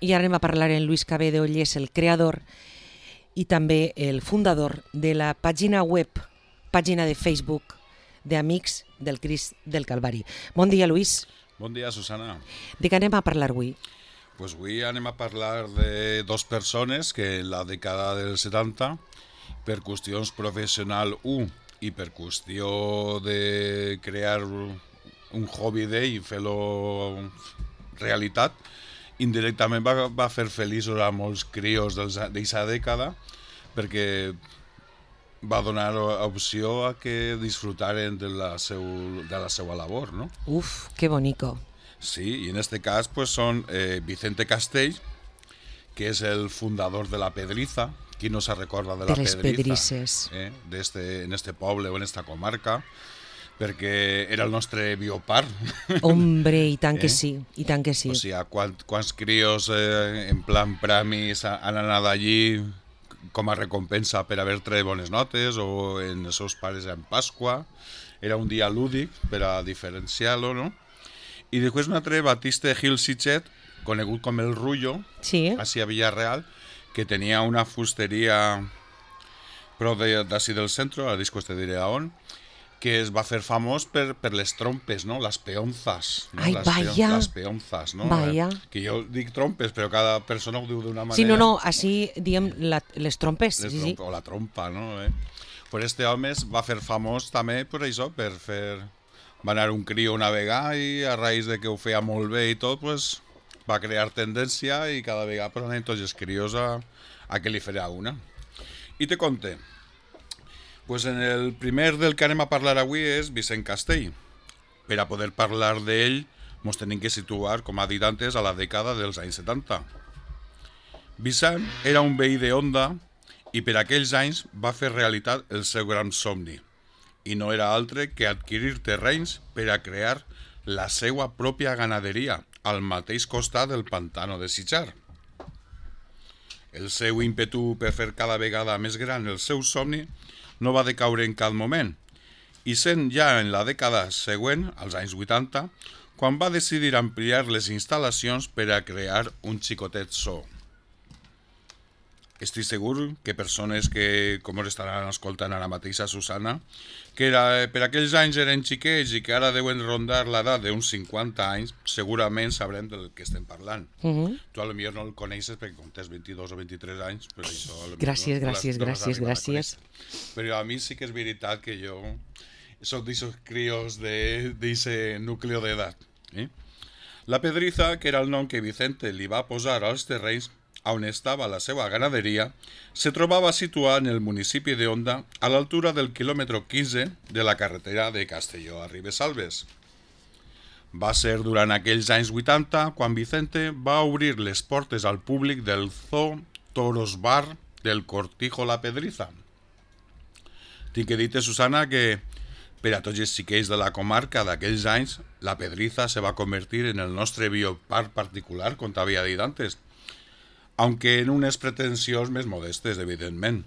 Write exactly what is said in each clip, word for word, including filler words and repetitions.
I ara anem a parlar amb Luis Cabedo, ell és el creador i també el fundador de la pàgina web, pàgina de Facebook d'Amics del Crist del Calvari. Bon dia, Luis. Bon dia, Susana. De què anem a parlar avui? Pues avui anem a parlar de dos persones que en la dècada dels setanta, per qüestions professional un i per qüestió de crear un hobby d'ell i fer-lo realitat, indirectament va, va fer feliços a molts crios d'aquesta dècada perquè va donar opció a que disfrutaren de la, seu, de la seva labor, ¿no? Uf, qué bonito. Sí, y en este caso pues son eh, Vicente Castell, que es el fundador de La Pedriza. ¿Quién no se recorda de La de les Pedriza? Pedrices. Eh, de este, en este poble o en esta comarca, perquè era el nostre bioparc. Hombre, i tant Eh? que sí, i tant que sí. O sigui, quant, quants crios eh, en plan premis han anat allí com a recompensa per haver tret bones notes, o en els seus pares en Pasqua. Era un dia lúdic per a diferenciar-lo, no? I després un altre, Batiste Gil Sitget, conegut com el Rullo, Sí, així a Villarreal, que tenia una fusteria prop d'ací del centre, ara després te diré a on, que es va fer famós per, per les trompes, no? Les peonzas. No? Ai, les vaya. Les peonzas, no? Vaya. Eh, que jo dic trompes, però cada persona ho diu d'una manera. sí, no, no, així diem la, les trompes. Les Sí, sí. trompa, o la trompa, no? Eh? Pues este home es va fer famós també per això, per fer... Va anar un crio a navegar i a raïs de que ho feia molt bé i tot, pues, va crear tendència i cada vegada pues, anem tots els crios a, a que li farà una. I te conté. Pues en el primer del que anem a parlar avui és Vicent Castell. Per a poder parlar d'ell, ens tenim que situar, com ha dit antes, a la dècada dels anys setanta. Vicent era un veí de Onda i per aquells anys va fer realitat el seu gran somni, i no era altre que adquirir terrenys per a crear la seva pròpia ganaderia al mateix costat del pantano de Sitjar. El seu ímpetu per fer cada vegada més gran el seu somni no va decaure en cap moment, i sent ja en la dècada següent, als anys vuitanta, quan va decidir ampliar les instal·lacions per a crear un xicotet zoo. Estic segur que persones que, com us estaran escoltant ara mateix a Susana, que era, per aquells anys eren xiquets i que ara deuen rondar l'edat d'uns cinquanta anys, segurament sabrem del que estem parlant. Uh -huh. Tu a lo millor no el coneixes perquè com tens vint-i-dos o vint-i-tres anys, però això... a lo millor Gràcies, no gràcies, l'has- no l'has gràcies, arribat a gràcies. conèixer. Però a mi sí que és veritat que jo soc d'aixos crios d'aquest núcleo d'edat. Eh? La Pedriza, que era el nom que Vicente li va posar als terrenys on estava la seva ganaderia, se trobava situada en el municipi de Onda a l'altura del quilòmetre quinze de la carretera de Castelló a Ribesalbes. Va ser durant aquells anys vuitanta quan Vicente va obrir les portes al públic del Zoo Toros Bar del Cortijo La Pedriza. Tinc que dir-te, Susana, que per a tots els xiquets de la comarca d'aquells anys, La Pedriza se va convertir en el nostre bioparc particular, com t'havia dit antes, aunque en unes pretensions més modestes, evidentment.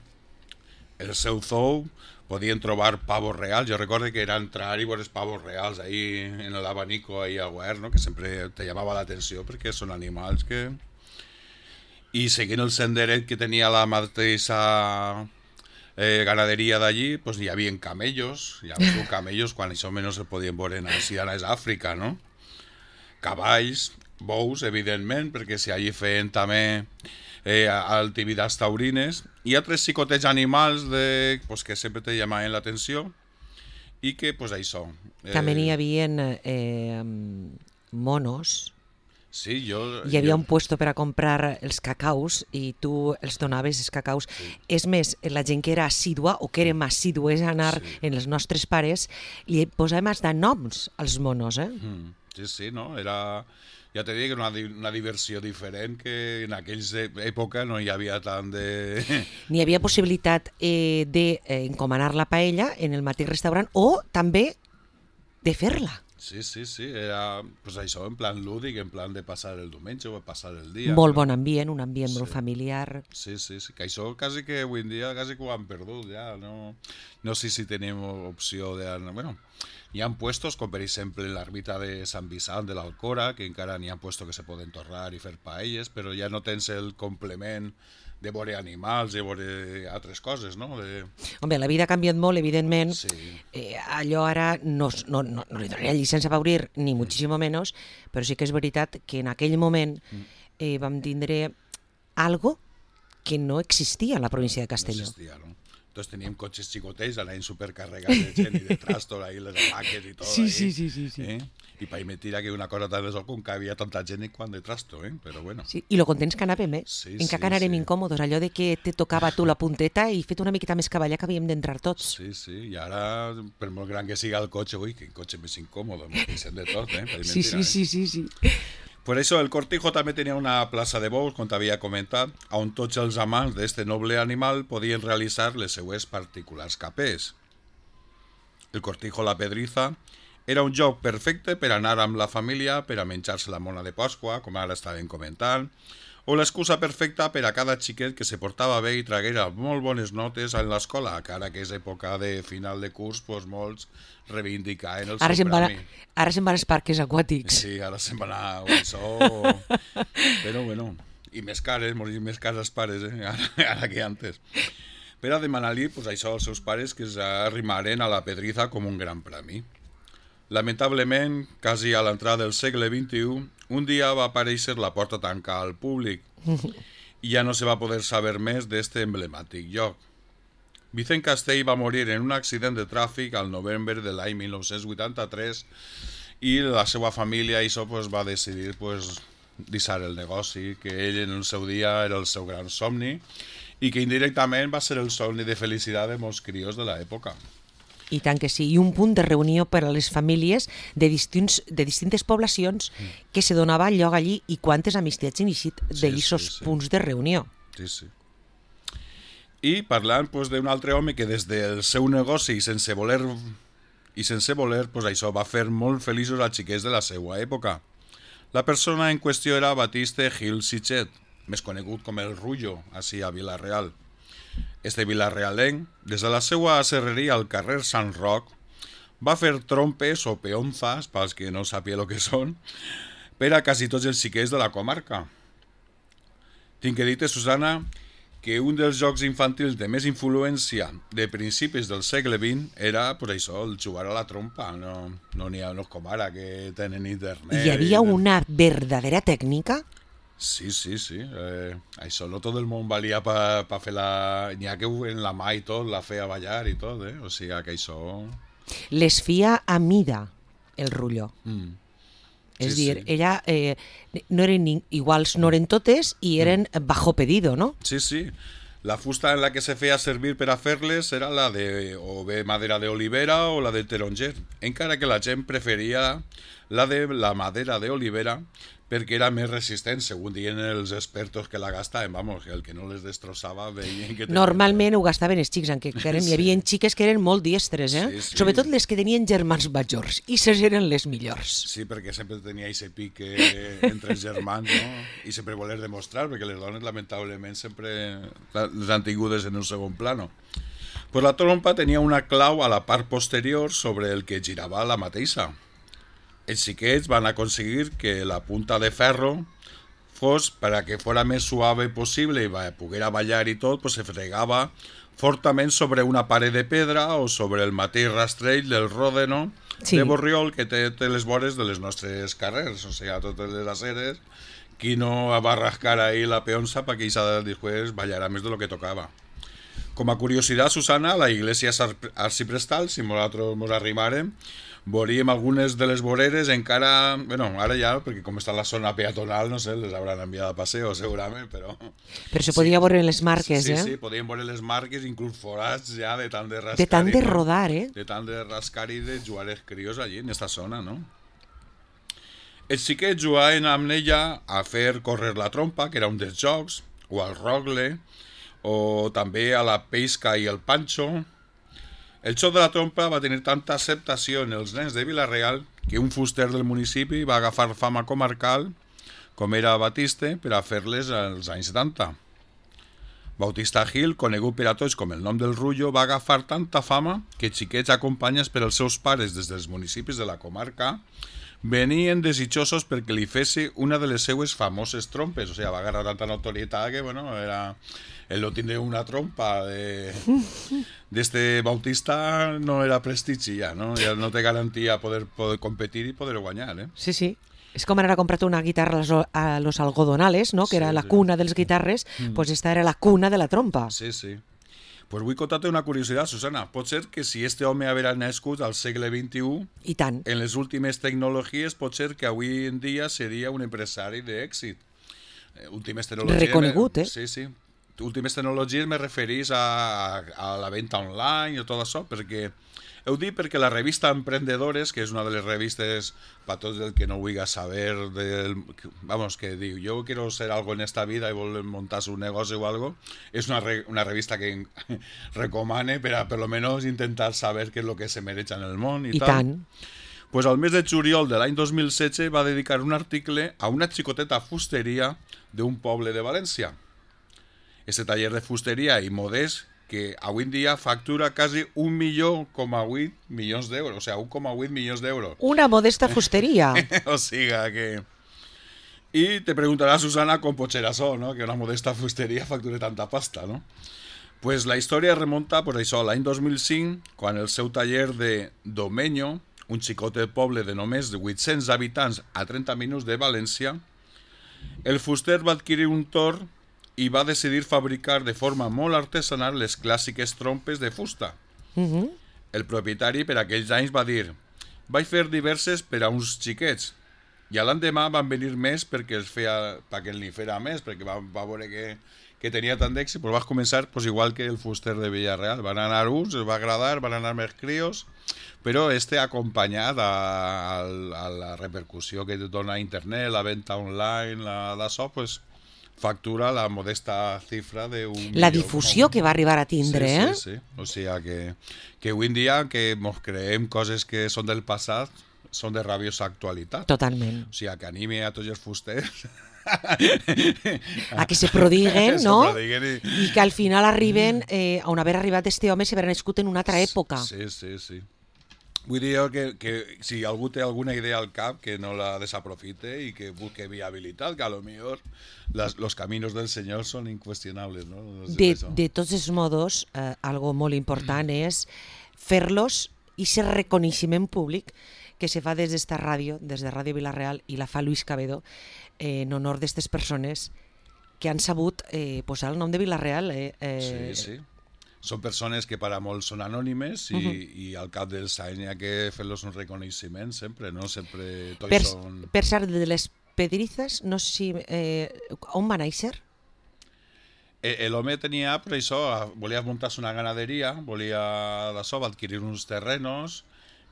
El seu zoo podien trobar pavos reals. Jo recordo que era entrar i veure pavos reals ahí en l'abanico ahí al guard, ¿no? Que sempre te llamava l'atenció perquè són animals que... I seguint el senderet que tenia la mateixa eh, ganaderia d'allí, pues hi havia camellos, hi havia camellos quan això menys se podien veure així a Àfrica, no? Cavalls, bous, evidentment, perquè si allí feien també eh, activitats taurines, i altres xicotets animals de, pues, que sempre te llamaven l'atenció, i que, pues, això... Eh, També n'hi havia eh, monos. Sí, jo... Hi havia jo, un puesto per a comprar els cacaus i tu els donaves els cacaus. Sí. És més, la gent que era assídua o que érem assídues a anar Sí. en els nostres pares, li posàvem fins noms als monos, eh? Mm, sí, sí, no? Era... Ja te dic, una, una diversió diferent que en aquells època no hi havia tant de... N'hi havia possibilitat eh, d'encomanar la paella en el mateix restaurant o també de fer-la. Sí, sí, sí, era pues això, en plan lúdic, en plan de passar el diumenge o passar el dia. Molt no? bon ambient, un ambient Sí. molt familiar. Sí, sí, sí, que això quasi que avui en dia quasi que ho han perdut ja, no, no sé si tenim opció de... Bueno, hi ha puestos com per exemple l'ermita de Sant Vicent de l'Alcora, que encara n'hi ha puestos que se poden torrar i fer paelles, però ja no tens el complement de veure animals i veure altres coses, no? De... Home, la vida ha canviat molt, evidentment. Sí. Eh, allò ara no, es- no, no, no li donaria llicència a obrir, ni moltíssim menys, però sí que és veritat que en aquell moment eh, vam tindre algo que no existia a la província de No Castelló. existia, no? Entonces teníem cotxes xicotets, anaven supercarregats de gent i de trastos, ahí les hamaques i tot. Sí, ahí, sí, sí, sí, sí. Eh? I per mentira que una cosa tan de sol com que havia tanta gent i quan de trasto, eh? Però bueno. Sí, i lo contents que anàvem, eh? Sí, Encara sí, que anàrem sí. incòmodes, allò de que te tocava a tu la punteta i fet una miqueta més cavallar que havíem d'entrar tots. Sí, sí, i ara, per molt gran que siga el cotxe, ui, quin cotxe més incòmode, m'ho queixem de tot, eh? Per Sí, mentira, sí, eh? sí, sí, sí. Per això el Cortijo també tenia una plaça de bous, com t'havia comentat, on tots els amants d'este noble animal podien realitzar les seues particulars capés. El Cortijo la Pedriza era un joc perfecte per anar amb la família, per a menjar-se la mona de Pasqua, com ara estaven comentant, o l'excusa perfecta per a cada xiquet que se portava bé i traguera molt bones notes en l'escola, que ara que és època de final de curs, doncs molts reivindicaven el Ara seu se'n van, premi. a- ara se'n van als parques aquàtics. Sí, ara se'n va anar a això... Però bueno, i més cares, morir més cares els pares, eh? Ara, ara que antes. Per a demanar-li pues, això als seus pares que s'arrimaren a la Pedriza com un gran premi. Lamentablement, quasi a l'entrada del segle vint-i-u, un dia va aparèixer la porta tancada al públic i ja no se va poder saber més d'este emblemàtic lloc. Vicent Castell va morir en un accident de tràfic al novembre de l'any mil nou-cents vuitanta-tres i la seva família això, pues, va decidir pues, deixar el negoci, que ell en el seu dia era el seu gran somni i que indirectament va ser el somni de felicitat de molts crios de l'època. I tant que sí, i un punt de reunió per a les famílies de, distints, de distintes poblacions que se donava lloc allí i quantes amistats han eixit Sí, d'aquests sí, sí. punts de reunió. Sí, sí. I parlant pues, d'un altre home que des del seu negoci i sense voler, i sense voler pues, això va fer molt feliços als xiquets de la seva època. La persona en qüestió era Batiste Gil Sitxet, més conegut com el Rullo, així a Vila-real. Este vilarrealenc, des de la seva serreria al carrer Sant Roc, va fer trompes o peonzas, pels que no sàpiga el que són, per a quasi tots els xiquets de la comarca. Tinc que dir-te, Susana, que un dels jocs infantils de més influència de principis del segle vint era, per això, el jugar a la trompa. No no n'hi ha no és com ara, que tenen internet. Hi havia i- una verdadera tècnica. Sí, sí, sí. Eh, això no tot el món valia per pa fer la... N'hi ha que en la mà i tot, la feia ballar i tot, eh? O sigui que això... Les fia a mida, el Rullo. Mm. És Sí, dir, sí. ella eh, no eren ni- iguals, no eren totes i eren bajo pedido, no? Sí, sí. La fusta en la que se feia servir per a fer-les era la de o bé madera d'olivera o la de taronger, encara que la gent preferia la de la madera d'olivera perquè era més resistent, segons diuen els expertos que la gastaven, vamos, que el que no les destrossava veien que... tenien- Normalment ho gastaven els xics, en què eren, hi havia xiques que eren molt diestres, eh? Sí, sí. Sobretot les que tenien germans majors, i ses eren les millors. Sí, perquè sempre tenia aquest pique entre els germans, no? I sempre voler demostrar, perquè les dones, lamentablement, sempre les han tingudes en un segon plano. Pues la trompa tenia una clau a la part posterior sobre el que girava la mateixa. Els xiquets van aconseguir que la punta de ferro fos, per a que fora més suave possible i va, poguera ballar i tot, pues se fregava fortament sobre una paret de pedra o sobre el mateix rastrell del ròdeno Sí. de Borriol que té, té les vores de les nostres carrers, o sigui, a totes les aceres, qui no va rascar ahí la peonza para que ella después ballara més de lo que tocava. Com a curiositat, Susana, la iglesia arciprestal, si nosaltres ens arrimàrem, veuríem algunes de les voreres encara, bueno, ara ja, perquè com està la zona peatonal, no sé, les hauran enviat a paseo segurament, però... Però se podia veure en les marques, sí, eh? Sí, sí, podien veure les marques, inclús forats ja de tant de rascar. De tant i de tot. rodar, eh? De tant de rascar i de jugar els crios allí, en esta zona, no? Els xiquets jugaven amb ella a fer córrer la trompa, que era un dels jocs, o al rogle, o també a la pesca i el panxo. El xoc de la trompa va tenir tanta acceptació en els nens de Vila-real que un fuster del municipi va agafar fama comarcal, com era Batiste, per a fer-les als anys setanta. Bautista Gil, conegut per a tots com el nom del Rullo, va agafar tanta fama que xiquets acompanyats per els seus pares des dels municipis de la comarca venien desitjosos perquè li fes una de les seues famoses trompes. O sigui, va agarrar tanta notorietat que, bueno, era... el no tindre una trompa de d'este Bautista no era prestigi ja, no? Ja no té garantia poder, poder competir i poder guanyar, eh? Sí, sí. És com anar a comprar una guitarra a los algodonales, ¿no? Que Sí, era la sí. cuna dels guitarres, Mm. pues esta era la cuna de la trompa. Sí, sí. Pues vull contar-te una curiositat, Susana. Pot ser que si este home haguera nascut al segle vint-i-u, I tant. en les últimes tecnologies, pot ser que avui en dia seria un empresari d'èxit. Eh, Últimes tecnologies... Reconegut, eh? Sí, sí. Últimes tecnologies me referís a, a la venda online i tot això, perquè heu dit perquè la revista Emprendedores, que és una de les revistes per tots el que no vulgui saber del, vamos, que diu, yo quiero ser algo en esta vida i vol montar un negoci o algo, és una, re, una revista que recomane per a per lo menos intentar saber què és lo que se mereix en el món i, I tal. tant. Pues al mes de juliol de l'any dos mil setze va dedicar un article a una xicoteta fusteria d'un poble de València. Este taller de fusteria i modest que avui en dia factura quasi un milió coma vuit milions d'euros, o sigui, un coma vuit milions d'euros. Una modesta fusteria. O siga que... I te preguntarà, Susana, com pot ser això, no? Que una modesta fusteria facture tanta pasta, no? Pues la història remunta, per això, l'any dos mil cinc, quan el seu taller de Domenyo, un xicot de poble de només vuit-cents habitants a trenta minuts de València, el fuster va adquirir un torn i va decidir fabricar de forma molt artesanal les clàssiques trompes de fusta. Uh -huh. El propietari per aquells anys va dir: vaig fer diverses per a uns xiquets, i a l'endemà van venir més perquè els feia, perquè n'hi fera més, perquè va, va veure que, que tenia tant d'èxit, però vas començar pues, igual que el fuster de Villarreal. Van anar uns, els va agradar, van anar més crios, però este acompanyat a, a, a la repercussió que dona internet, la venda online, la d'això, pues, factura la modesta xifra d'un... La difusió que va arribar a tindre, sí, eh? Sí, sí. O sigui que, que avui en dia que ens creem coses que són del passat són de rabiosa actualitat. Totalment. O sigui que anime a tots els fusters A que se prodiguen, se no? prodiguen i... I que al final arriben eh, on haver arribat este home si haver nascut en una altra època. Sí, sí, sí. Vull dir jo que, que si algú té alguna idea al cap, que no la desaprofite i que busque viabilitat, que a lo millor las, los caminos del Senyor són inqüestionables, no? No sé De, això. de tots els modos, eh, algo molt important és fer-los i ser reconeixement públic que se fa des d'esta ràdio, des de Ràdio Vila-real, i la fa Luis Cabedo, eh, en honor d'aquestes persones que han sabut eh, posar el nom de Vila-real. Eh, eh, Sí, sí. Són persones que per a molts són anònimes i, uh -huh. i al cap dels anys hi ha que fer-los un reconeixement sempre, no? Sempre tots per, són... per ser de les Pedrizas, no sé si... Eh, on va néixer? Eh, L'home tenia, per això, volia muntar-se una ganaderia, volia d'això, va adquirir uns terrenos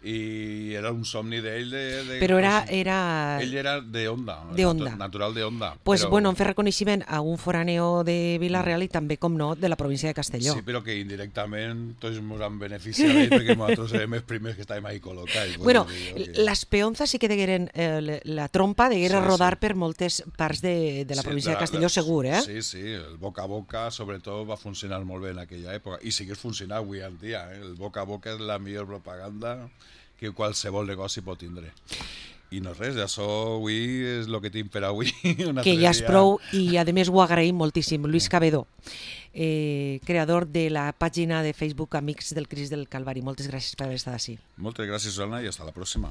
i era un somni d'ell de, de... Però era... era... Ell era de Onda, De Onda. natural de Onda. Pues però... bueno, en fer reconeixement a un foráneo de Vila-real i també, com no, de la província de Castelló. Sí, però que indirectament tots ens han beneficiat d'ell perquè nosaltres érem els primers que estàvem ahí col·locats. Bueno, que... les peonzas sí que degueren, eh, la trompa deguera Sí, rodar sí. per moltes parts de, de la Sí, província de la- Castelló, la- segur, eh? Sí, sí, el boca a boca sobretot va funcionar molt bé en aquella època i segueix funcionant avui en dia. Eh? El boca a boca és la millor propaganda que qualsevol negoci pot tindre. I no res, això avui és el que tinc per avui. Un Que altre ja és dia. prou i a més ho agraïm moltíssim. Luis Cabedo, eh, creador de la pàgina de Facebook Amics del Crist del Calvari. Moltes gràcies per haver estat així. Moltes gràcies, Susana, i fins la pròxima.